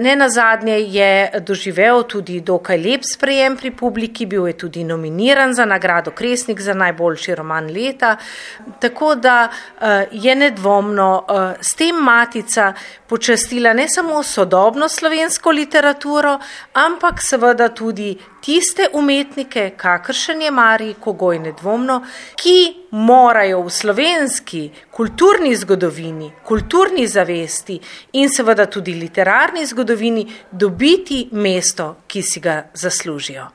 Nenazadnje je doživel tudi dokaj lep sprejem pri publiki, bil je tudi nominiran za nagrado Kresnik za najboljši roman leta, tako da je nedvomno s tem Matica počastila ne samo sodobno slovensko literaturo, ampak seveda tudi tiste umetnike, kakršen je Marij Kogoj nedvomno, ki morajo v slovenski kulturni zgodovini, kulturni zavesti in seveda tudi literarni zgodovini dobiti mesto, ki si ga zaslužijo.